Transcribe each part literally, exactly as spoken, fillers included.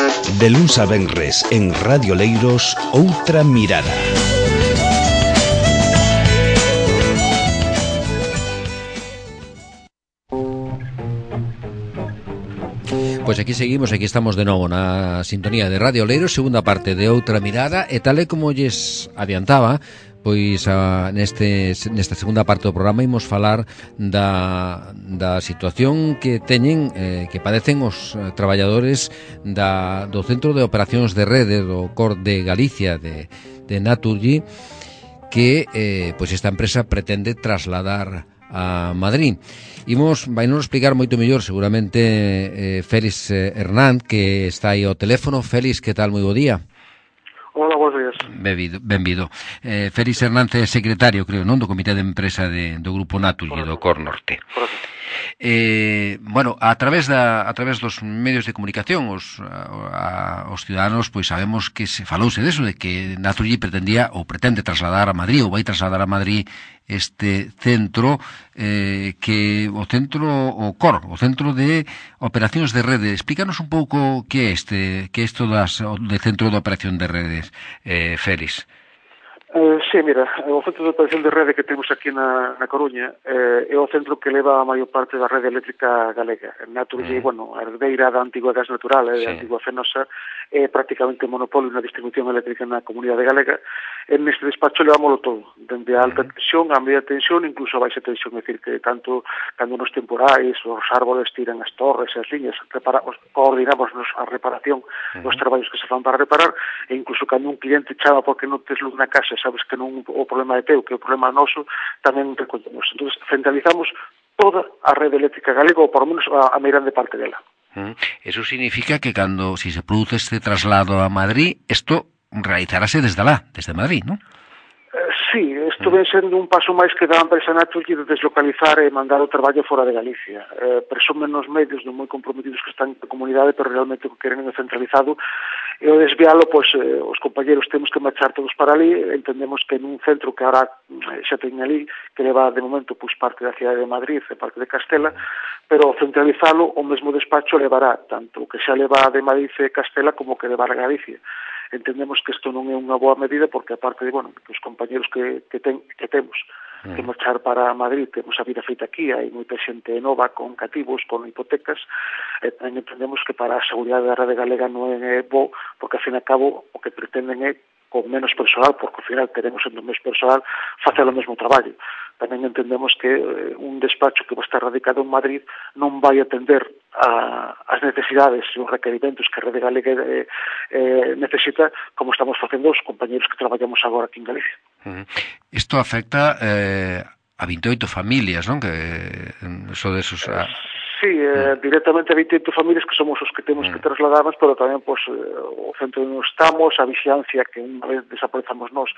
De luns a venres en Radio Leiros, Outra Mirada. Pois aquí seguimos, aquí estamos de novo na sintonía de Radio Leiros, segunda parte de Outra Mirada, e tal e como lles adiantaba, pois a, neste, nesta segunda parte do programa imos falar da, da situación que teñen, eh, que padecen os eh, traballadores da, do Centro de Operacións de Rede do C O R de Galicia, de, de Naturgy, que eh, pois esta empresa pretende trasladar a Madrid. Imos, vai nos explicar moito mellor seguramente eh, Félix eh, Hernán, que está aí ao teléfono. Félix, que tal? Moi bo día. Hola, bons días. Benvido, benvido. Eh, Félix Hernández é secretario, creo, non? Do Comité de Empresa de, do Grupo Naturgy, do C O R Norte. Eh, bueno, a través da a través dos medios de comunicación os, a, a, os ciudadanos pois sabemos que se falouse deso, de que Naturgy pretendía ou pretende trasladar a Madrid ou vai trasladar a Madrid este centro eh, que o centro o C O R, o Centro de Operacións de Rede. Explícanos un pouco que é este, que é isto das, de Centro de Operación de Redes, eh, Félix. Eh, sí, mira, o Centro de Operación de Rede que temos aquí na, na Coruña eh, é o centro que leva a maior parte da rede eléctrica galega. Naturgy, mm. bueno, a herdeira da antiga gas natural, eh, sí. da antiga Fenosa, é prácticamente monopolio na distribución eléctrica na comunidade galega. En neste despacho levámoslo todo, dende a alta mm. tensión a media tensión, incluso a baixa tensión, é dicir, que tanto cando nos temporais, os árboles tiran as torres, as liñas, reparamos, coordinamos a reparación mm. dos traballos que se fan para reparar, e incluso cando un cliente chama porque non tes luz na casa, sabes que non o problema é teu, que o problema é noso, tamén recollemos. Entón, centralizamos toda a rede eléctrica galega, ou por lo menos a, a meirande parte dela. Mm. Eso significa que cando, si se produce este traslado a Madrid, isto realizarase desde lá, desde Madrid, non? Eh, sí, isto ven sendo un paso máis que da empresa Naturgy de deslocalizar e mandar o traballo fora de Galicia. Eh, presumen nos medios non moi comprometidos que están na comunidade, pero realmente o que queren é centralizado, e o desvialo, pois, eh, os compañeros temos que marchar todos para ali. Entendemos que nun centro que ahora xa ten ali, que leva de momento pois parte da cidade de Madrid e parte de Castela, pero centralizalo, o mesmo despacho levará tanto o que xa leva de Madrid e Castela como que levar a Galicia. Entendemos que isto non é unha boa medida, porque aparte de, bueno, que os compañeros que, que, ten, que temos que marchar para Madrid, temos a vida feita aquí, hai moita xente nova con cativos, con hipotecas, e tamén entendemos que para a seguridade da rede galega non é bo, porque ao fin e ao cabo o que pretenden é con menos personal, porque ao final teremos sendo menos personal facer o mesmo traballo. Tamén entendemos que eh, un despacho que vai estar radicado en Madrid non vai atender a, as necesidades e os requerimentos que a rede galega eh, eh, necesita, como estamos facendo os compañeros que traballamos agora aquí en Galicia. Isto afecta eh, a vinte e oito familias, non? Que eso de esos... A... Sí, eh, mm. directamente a vinte e oito familias que somos os que temos mm. que trasladarnos, pero tamén pues, o centro onde estamos, a vixiancia que unha vez desaparezamos nós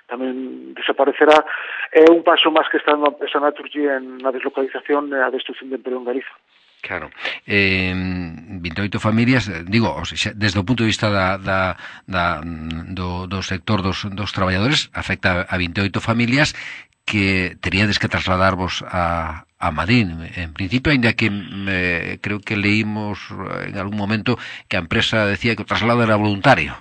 tamén desaparecerá. É un paso máis que está na empresa Naturgy en na deslocalización e a destrucción de emprego en Galicia. Claro, eh, vinte e oito familias, digo, o sea, desde o punto de vista da, da, da, do, do sector dos, dos traballadores, afecta a vinte e oito familias que teríades que trasladarvos a, a Madrid. En principio, ainda que eh, creo que leímos en algún momento que a empresa decía que o traslado era voluntario.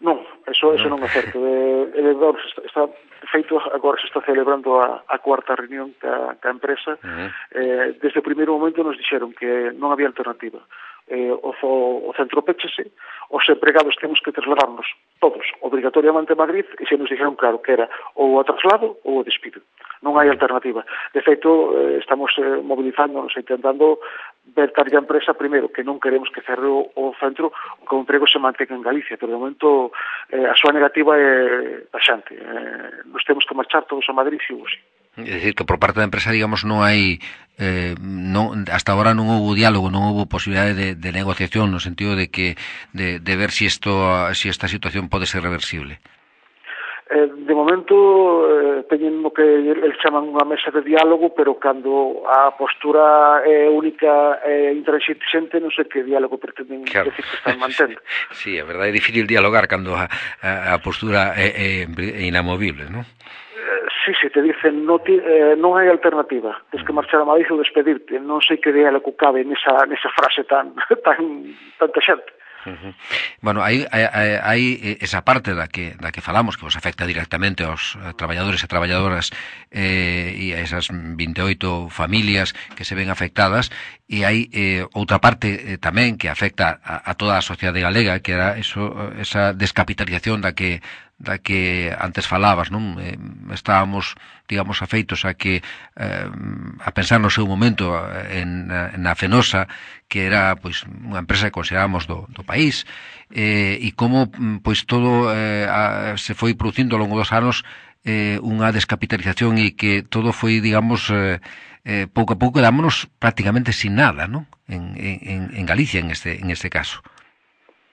Non, eso, eso non é certo. Eh, está, está feito, agora se está celebrando a, a cuarta reunión ca, ca empresa. Uh-huh. Eh, desde o primeiro momento nos dixeron que non había alternativa. Eh, o, o centro péchese, os empregados temos que trasladarnos todos obrigatoriamente a Madrid, e se nos dixeron claro que era ou o traslado ou o despido. Non hai alternativa. De feito, eh, estamos eh, movilizándonos e intentando ver a empresa primeiro, que non queremos que cerre o, o centro, que o emprego se mantenga en Galicia, pero de momento eh, a súa negativa é taxante. Eh, nos temos que marchar todos a Madrid, si ou si. É dicir, que por parte da empresa, digamos, non hai eh, non, hasta agora non houve diálogo, non houve posibilidade de, de negociación, no sentido de que de, de ver si esto, si esta situación pode ser reversible. Eh, de momento eh, teñen o que eles chaman unha mesa de diálogo, pero cando a postura é única e intransigente, non sei que diálogo pretenden claro. decir que están mantendo. Sí, a verdade é difícil dialogar cando a, a, a postura é, é, é inamovible, non? Sí, sí, te dicen no ti, eh, non hai alternativa, tens que marchar a Madrid ou despedirte. Non sei que diálogo cabe nesa, nesa frase tan tan tanta xente. Uh-huh. Bueno, hai, hai, hai esa parte da que, da que falamos que vos afecta directamente aos traballadores e traballadoras eh, e a esas vinte e oito familias que se ven afectadas, e hai eh, outra parte eh, tamén que afecta a, a toda a sociedade galega, que era eso, esa descapitalización da que da que antes falabas, non? Eh, estábamos, digamos, afeitos a que eh, a pensar no seu momento en, na Fenosa, que era pois unha empresa que considerábamos do, do país, eh, e como pois todo eh, a, se foi producindo ao longo dos anos eh, unha descapitalización e que todo foi, digamos, eh, eh, pouco a pouco dámonos prácticamente sin nada, non? En, en, en Galicia, en este, en este caso.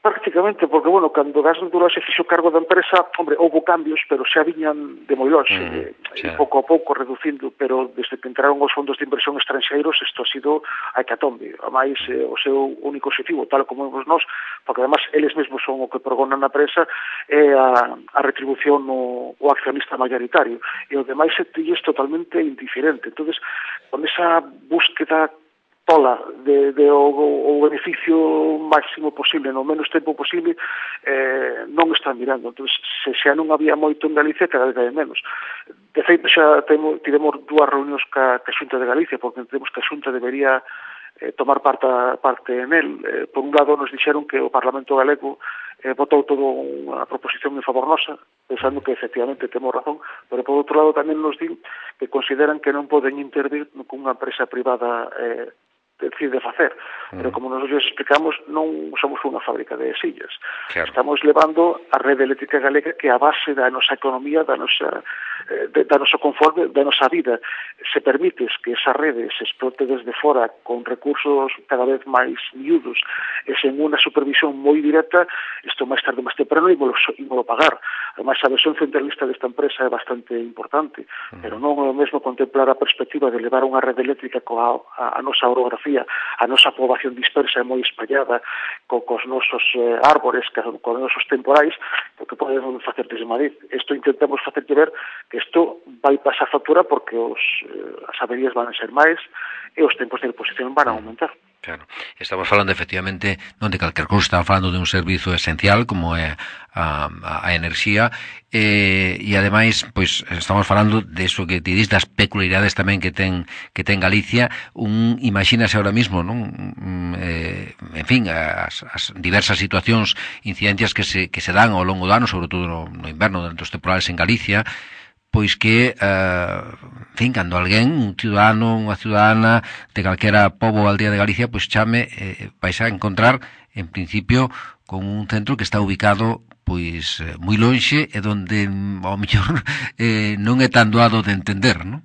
Prácticamente, porque, bueno, cando Gas Natural se fixo cargo da empresa, hombre, houve cambios, pero xa viñan de moi longe, mm, e pouco a pouco reducindo, pero desde que entraron os fondos de inversión estranxeiros, isto ha sido a hecatombe. Ademais, eh, o seu único objetivo, tal como vemos nós, porque además eles mesmos son o que pregonan na prensa, é a, a retribución no, o accionista mayoritario, e o demais é totalmente indiferente. Entonces, con esa búsqueda tola de, de o, o beneficio máximo posible no menos tempo posible, eh, non están mirando. Entón, se xa non había moito en Galicia, cada vez hai menos. De feito, xa temos, tivemos dúas reunións ca, ca Xunta de Galicia, porque entendemos que a Xunta debería eh, tomar parte, parte en el. Eh, por un lado, nos dixeron que o Parlamento Galego eh, votou toda unha proposición en favor nosa, pensando que efectivamente temos razón, pero por outro lado tamén nos din que consideran que non poden intervir con unha empresa privada eh, decide facer, pero como nos explicamos, non somos unha fábrica de sillas. Claro. Estamos levando a rede eléctrica galega, que é a base da nosa economía, da nosa, de, da nosa confort, da nosa vida. Se permites que esa rede se explote desde fora con recursos cada vez máis miúdos e sen unha supervisión moi directa, isto máis tarde máis temprano e volo pagar. Ademais, a versión centralista desta empresa é bastante importante, uh-huh. pero non é o mesmo contemplar a perspectiva de levar unha rede eléctrica coa a, a nosa orografía, a nosa poboación dispersa e moi espallada, co, cos nosos eh, árbores, co, cos nosos temporais, porque podemos facer desde Madrid. Isto intentamos facer ver que isto vai pasar factura porque os, eh, as averías van a ser máis e os tempos de reposición van a aumentar. Claro, estamos falando efectivamente non de calquer cousa, estamos falando de un servizo esencial como é a, a, a enerxía eh, e ademais pois estamos falando de eso que ti dis, das peculiaridades tamén que ten que ten Galicia. Un imagínase ahora mismo, non? Eh, en fin, as, as diversas situacións, incidencias que se, que se dan ao longo do ano, sobre todo no, no inverno, dentro dos temporales en Galicia, pois que, uh, en fin, cando alguén, un ciudadano, unha ciudadana de calquera pobo ou aldea de Galicia, pois chame, eh, vais a encontrar, en principio, con un centro que está ubicado, pois, eh, moi lonxe, e donde, ao mellor, eh, non é tan doado de entender, non?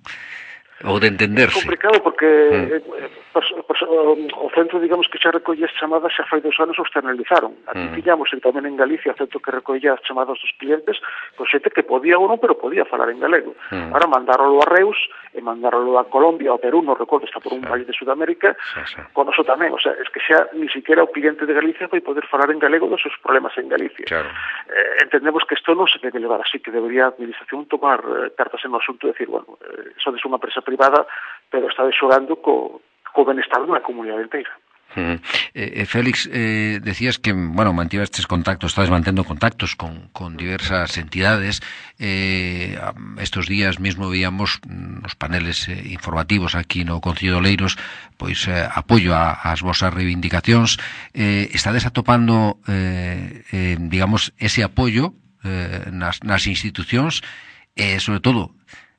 Ou de entenderse. É complicado porque mm. eh, pues, pues, o centro, digamos, que xa recolle as chamadas xa fai dos anos o externalizaron. Aquí mm. tiñamos e tamén en Galicia o centro que recolle as chamadas dos clientes, pois xente que podía ou non, pero podía falar en galego. Mm. Ahora mandárolo a Reus e mandárolo a Colombia, ao Perú, non recordo, está por un sí. país de Sudamérica, sí, sí. con eso tamén. O sea, es que xa ni siquiera o cliente de Galicia vai poder falar en galego dos seus problemas en Galicia. Claro. Eh, entendemos que isto non se debe levar así, que debería a administración tomar eh, cartas en o asunto e decir, bueno, eh, eso é unha empresa privada, pero está xogando co, co benestar dunha comunidade inteira. Mm. Eh, Félix, eh, decías que, bueno, mantivestes contactos, estás mantendo contactos con, con diversas entidades. Eh, estos días mismo veíamos nos paneles eh, informativos aquí no Concello de Oleiros, pois eh, apoio a, as vosas reivindicacións. Eh, estades atopando, eh, eh, digamos, ese apoio eh, nas, nas institucións e, eh, sobre todo,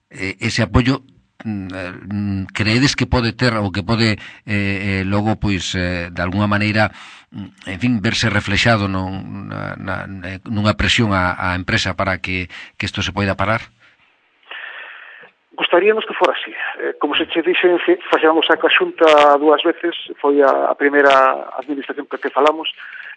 eh, ese apoio creedes que pode ter ou que pode eh, eh, logo pois eh, de alguna maneira, en fin, verse reflexado non, na, na, nunha presión á, á empresa para que, que isto se poida parar? Gostaríamos que fora así. Eh, como se che dixen, facemos a Xunta dúas veces, foi a, a primeira administración que, que falamos.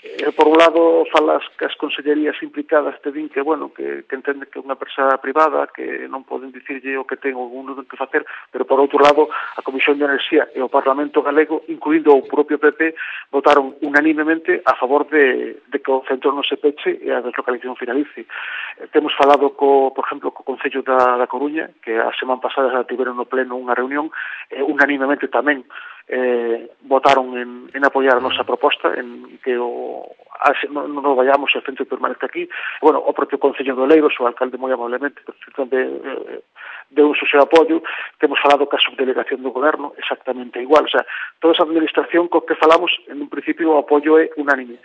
Eh, por un lado, falas que as consellerías implicadas te din que, bueno, que, que entende que é unha empresa privada, que non poden dicirlle o que ten ou non ten que facer, pero por outro lado, a Comisión de Enerxía e o Parlamento Galego, incluindo o propio P P, votaron unanimemente a favor de, de que o centro non se peche e a deslocalización finalice. Eh, temos falado, co, por exemplo, co Concello da, da Coruña, que a semana pasada já tiveron no pleno unha reunión, eh, unanimemente tamén eh, votaron en, en apoiar a nosa proposta, en que o, a, non, non vayamos, o centro permanente aquí. Bueno, o propio Concello de Oleiros, o alcalde moi amablemente, de, de, de un seu apoio, temos falado ca subdelegación do goberno exactamente igual, o sea, toda esa administración co que falamos, en un principio o apoio é unánime.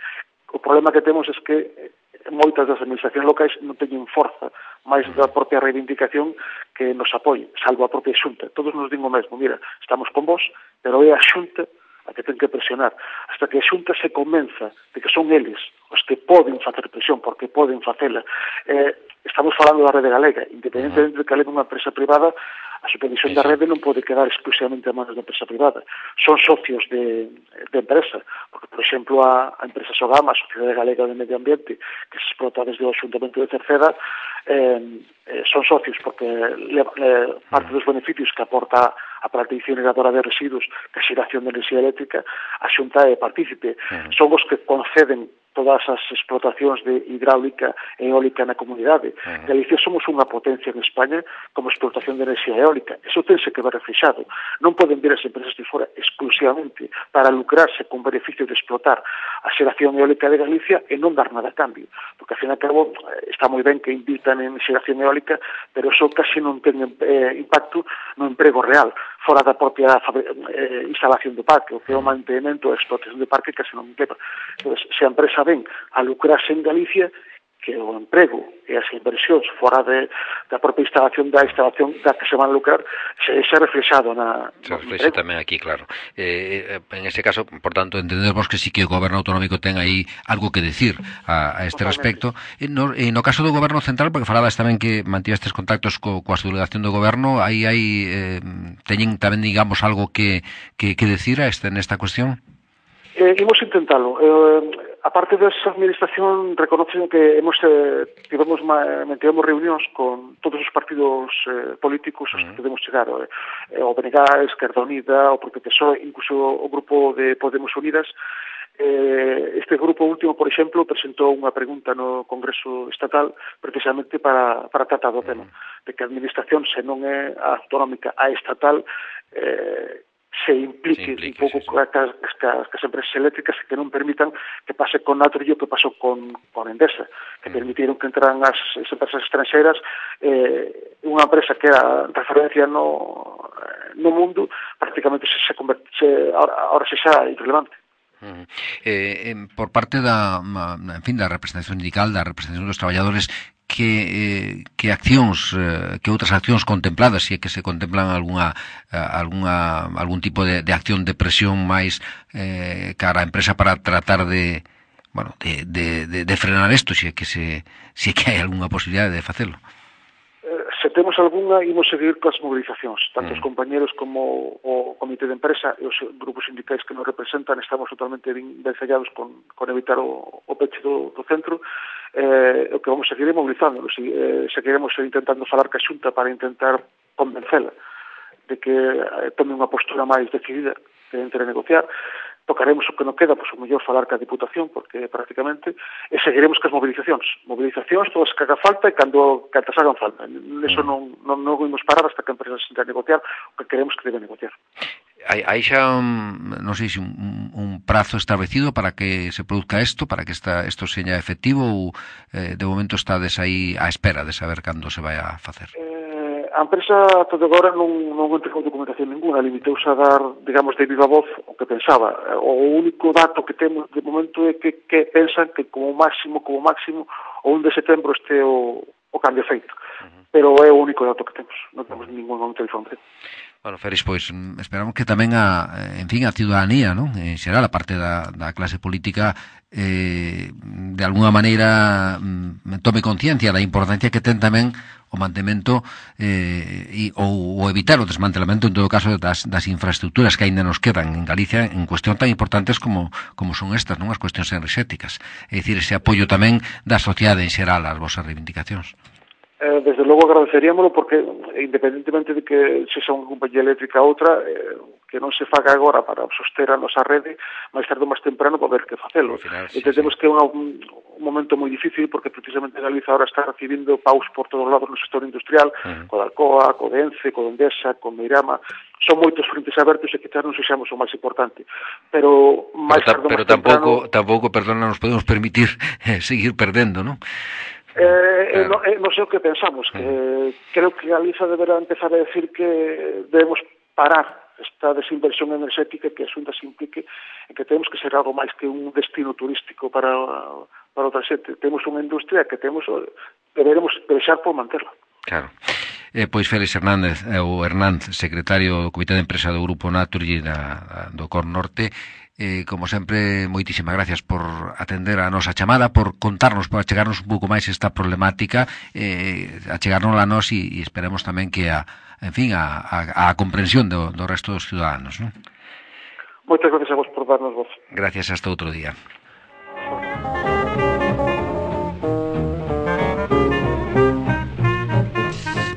O problema que temos é que moitas das administracións locais non teñen forza máis da propia reivindicación que nos apoie, salvo a propia Xunta. Todos nos din o mesmo, mira, estamos con vos, pero é a Xunta a que ten que presionar. Hasta que a Xunta se convenza de que son eles os que poden facer presión, porque poden facela. Eh, estamos falando da Rede Galega, independentemente de que a leve unha empresa privada, a supervisión da rede non pode quedar exclusivamente a manos da empresa privada. Son socios de, de empresa, porque, por exemplo, a, a empresa Sogama, a Sociedade Galega de Medio Ambiente, que se explota desde o Xuntamento de Cerceda, eh, eh, son socios porque le, le, parte dos beneficios que aporta a planta incineradora de residuos, que a xeración de enerxía eléctrica, a Xunta é partícipe. Uh-huh. Son os que conceden todas as explotacións de hidráulica e eólica na comunidade. Uh-huh. Galicia somos unha potencia en España como explotación de enerxía eólica. Eso tense que ver reflexado. Non poden vir as empresas de fora exclusivamente para lucrarse con beneficio de explotar a xeración eólica de Galicia e non dar nada a cambio. Porque, ao fin e ao cabo, está moi ben que invitan en xeración eólica, pero eso casi non ten eh, impacto no emprego real, fora da propia eh, instalación do parque, o que é o mantenimento e a explotación do parque casi non leva. Entón, se a empresa ven a lucrarse en Galicia, que o emprego e as inversións fora de, da propia instalación da instalación da que se van a lucrar se é reflexado na se reflexa tamén aquí, claro. Eh, en ese caso, por tanto, entendemos que sí que o goberno autonómico ten aí algo que decir a, a este Totalmente. respecto. E no, e no caso do goberno central, porque falabas tamén que mantivestes contactos co, coa delegación do goberno, aí hai eh, teñen tamén, digamos, algo que, que, que decir a este, nesta cuestión? Eh, imos intentalo. Eh, a parte desa administración, reconocen que hemos eh, tivemos mantivemos reunións con todos os partidos eh, políticos aos que podemos chegar, eh, o B N G, Esquerda Unida, o propio P S O E, incluso o grupo de Podemos Unidas. Eh, este grupo último, por exemplo, presentou unha pregunta no Congreso Estatal precisamente para, para tratar do tema, de que a administración, se non é a autonómica, a estatal, eh, se implique, se implique un pouco sí, sí. Cas, cas, cas empresas eléctricas que non permitan que pase con Naturgy o que pasou con, con Endesa, que mm. permitiron que entraran as, as empresas estranxeiras, eh, unha empresa que era referencia no, no mundo, prácticamente se, se converte, se, ahora, ahora se xa irrelevante. Uh-huh. Eh, eh, por parte da, en fin, da representación sindical, da representación dos traballadores, que, eh, que accións, eh, que outras accións contempladas, se é que se contemplan algunha, algunha, algún tipo de, de acción de presión máis eh, cara a empresa para tratar de, bueno, de, de, de, de frenar isto, se é que se, se é que hai algunha posibilidade de facelo. Se temos algunha, imos seguir coas movilizacións. Tanto mm. os compañeros como o comité de empresa e os grupos sindicais que nos representan estamos totalmente vencellados con, con evitar o, o peche do, do centro. Eh, o que vamos a seguir é movilizándonos. Eh, seguiremos intentando falar ca Xunta para intentar convencela de que eh, tome unha postura máis decidida de entre negociar. Tocaremos o que non queda, pois o mellor falar ca Diputación, porque prácticamente, e seguiremos cas movilizacións. Movilizacións, todas que haga falta, e cando cantas hagan falta. Eso non, non, non vimos parar hasta que a empresa se intenta negociar o que queremos que debe negociar. Hai, hai xa, un, non sei se un, un prazo establecido para que se produzca isto, para que esta, isto seña efectivo, ou eh, de momento estades aí á espera de saber cando se vai a facer? Eh, A empresa, todo agora, non, non entregou documentación ninguna, limiteuse a dar, digamos, de viva voz o que pensaba. O único dato que temos de momento é que, que pensan que como máximo, como máximo, o un de setembro este o, o cambio feito. Uh-huh. Pero é o único dato que temos, non temos ningún momento de información. Bueno, Félix, pois esperamos que tamén a, en fin, a ciudadanía, non? En xeral, a parte da, da clase política, eh, de alguna maneira mm, tome conciencia da importancia que ten tamén o mantemento eh, e, ou, ou evitar o desmantelamento, en todo caso, das, das infraestructuras que aínda nos quedan en Galicia en cuestión tan importantes como, como son estas, non? As cuestións enerxéticas. É dicir, ese apoio tamén da sociedade en xeral ás vosas reivindicacións. Eh, desde logo agradeceríamolo porque, independentemente de que se xa unha compañía eléctrica ou outra, eh, que non se faga agora para soster a nosa rede, máis tarde ou máis temprano para ver que facelo. Final, sí, entendemos sí. que é unha, un momento moi difícil porque precisamente Galiza ahora está recibindo paus por todos lados no sector industrial, uh-huh. co Alcoa, co Ence, co Endesa, co Meirama. Son moitos frentes abertos e quizás non sexamos o máis importante. Pero máis pero, ta, pero tampouco, temprano, tampouco, perdona, nos podemos permitir eh, seguir perdendo, non? Eh, claro. non, eh, non sei o que pensamos, que uh-huh. creo que Galiza deberá empezar a decir que debemos parar esta desinversión enerxética, que a Xunta se implique en que temos que ser algo máis que un destino turístico para, para outra xente. Temos unha industria que temos, deberemos deixar por manterla. Claro. Eh, pois Félix Hernández, eh, o Hernández, secretario do Comité de Empresa do Grupo Naturgy da, do Cor Norte, eh, como sempre, moitísimas gracias por atender a nosa chamada, por contarnos, por achegarnos un pouco máis esta problemática, eh, achegarnos a nós e, e esperemos tamén que a en fin, a, a, a comprensión do, do resto dos ciudadanos, non? Moitas gracias a vos por darnos voz. Gracias, hasta outro día.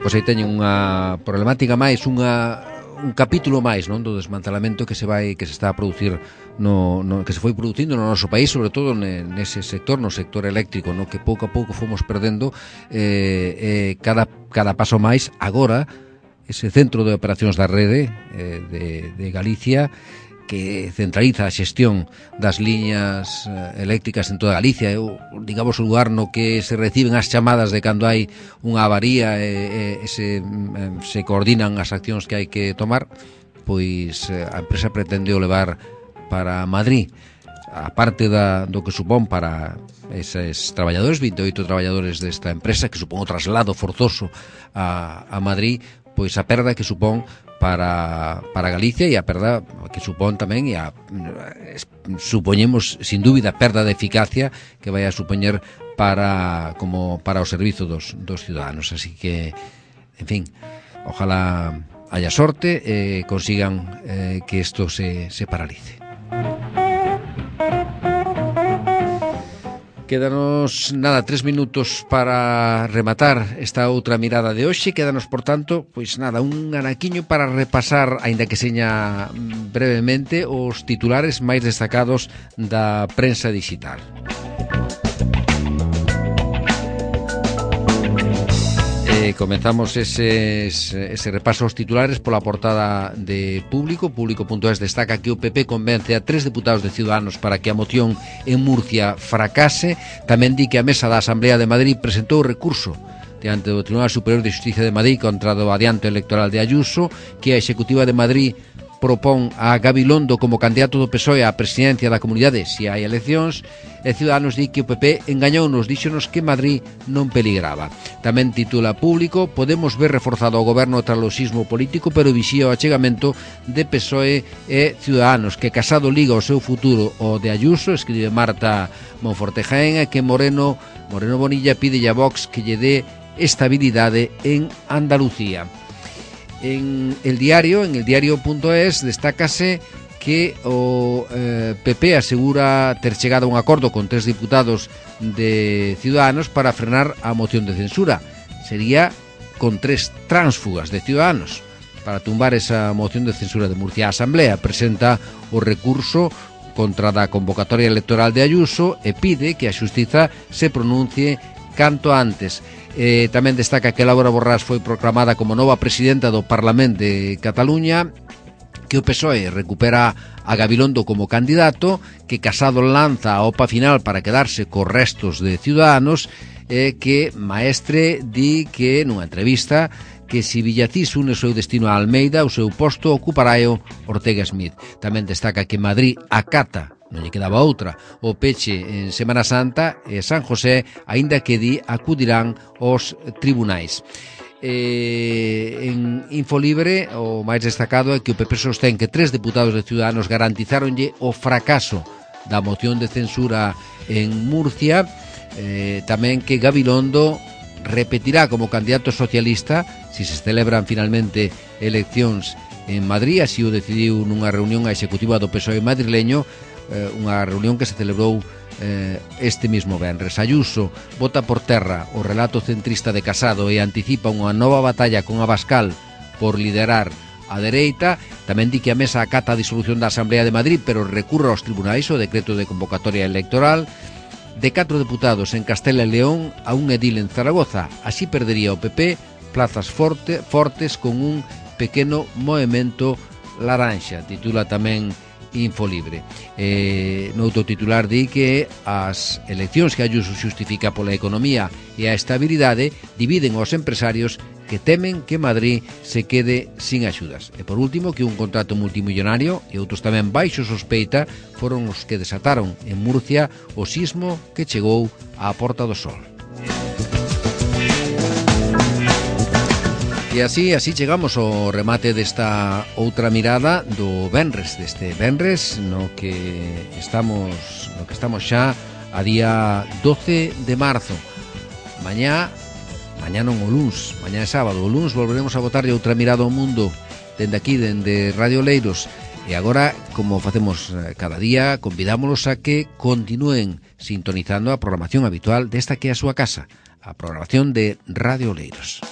Pois aí teñen unha problemática máis, unha un capítulo máis, non, do desmantelamento que se vai que se está a producir no, no que se foi producindo no noso país, sobre todo nese sector, no sector eléctrico, no que pouco a pouco fomos perdendo eh, eh, cada cada paso máis agora. Ese centro de operacións da rede eh, de, de Galicia que centraliza a xestión das liñas eh, eléctricas en toda Galicia, o, digamos o lugar no que se reciben as chamadas de cando hai unha avaría e, e se, eh, se coordinan as accións que hai que tomar, pois eh, a empresa pretende o levar para Madrid. A parte da, do que supón para eses traballadores, vinte e oito traballadores desta empresa, que supón o traslado forzoso a, a Madrid, pois a perda que supón para, para Galicia e a perda que supón tamén e a, supoñemos sin dúbida a perda de eficacia que vai a supoñer para como para o servizo dos, dos ciudadanos, así que en fin, ojalá haya sorte e eh, consigan eh, que isto se, se paralice. Quédanos, nada, tres minutos para rematar esta outra mirada de hoxe. Quédanos, por tanto, pois nada, un anaquiño para repasar, aínda que seña brevemente, os titulares máis destacados da prensa digital. Eh, comenzamos ese, ese repaso aos titulares pola portada de Público. Público punto es destaca que o P P convence a tres deputados de Ciudadanos para que a moción en Murcia fracase. Tamén di que a mesa da Asamblea de Madrid presentou recurso diante do Tribunal Superior de Xustiza de Madrid contra o adianto electoral de Ayuso, que a Executiva de Madrid propón a Gabilondo como candidato do P S O E á presidencia da comunidade se hai eleccións, e Ciudadanos di que o P P engañounos, díxonos que Madrid non peligraba. Tamén titula Público, podemos ver reforzado o goberno tras o sismo político, pero vixía o achegamento de P S O E e Ciudadanos, que Casado liga o seu futuro o de Ayuso, escribe Marta Monforte Jaén, e que Moreno, Moreno Bonilla pide a Vox que lle dé estabilidade en Andalucía. En el diario, en el diario punto es, destácase que o eh, P P asegura ter chegado a un acordo con tres diputados de Ciudadanos para frenar a moción de censura. Sería con tres tránsfugas de Ciudadanos para tumbar esa moción de censura de Murcia. A Asamblea presenta o recurso contra da convocatoria electoral de Ayuso e pide que a Xustiza se pronuncie canto antes. Eh, tamén destaca que Laura Borrás foi proclamada como nova presidenta do Parlamento de Cataluña, que o P S O E recupera a Gabilondo como candidato, que Casado lanza a opa final para quedarse cos restos de Ciudadanos, e eh, que Maestre di que nunha entrevista que se Villacís une o seu destino a Almeida, o seu posto ocuparáeo Ortega Smith. Tamén destaca que Madrid acata, non lle quedaba outra, o peche en Semana Santa e San José, aínda que di acudirán aos tribunais. Eh, en Infolibre o máis destacado é que o P P sostén que tres deputados de Ciudadanos garantizáronlle o fracaso da moción de censura en Murcia. Eh, tamén que Gabilondo repetirá como candidato socialista si se celebran finalmente eleccións en Madrid, así o decidiu nunha reunión a executiva do P S O E madrileño, unha reunión que se celebrou eh, este mismo venres. Ayuso bota por terra o relato centrista de Casado e anticipa unha nova batalla con Abascal por liderar a dereita. Tamén di que a mesa acata a disolución da Asamblea de Madrid, pero recurre aos tribunais o decreto de convocatoria electoral. de catro deputados en Castela e León a un edil en Zaragoza. Así perdería o P P plazas forte, fortes con un pequeno movemento laranxa, titula tamén Infolibre. Eh, noutro titular di que as eleccións que Ayuso xustifica pola economía e a estabilidade dividen aos empresarios que temen que Madrid se quede sin axudas. E por último, que un contrato multimillonario e outros tamén baixo sospeita foron os que desataron en Murcia o sismo que chegou á Porta do Sol. E así, así chegamos ao remate desta outra mirada do venres, deste venres no que estamos, no que estamos xa a día doce de marzo. Mañá, mañá non o luns, mañá é sábado, o luns volveremos a botarlle outra mirada ao mundo dende aquí, dende Radio Oleiros. E agora, como facemos cada día, convidámolos a que continúen sintonizando a programación habitual desta que é a súa casa, a programación de Radio Oleiros.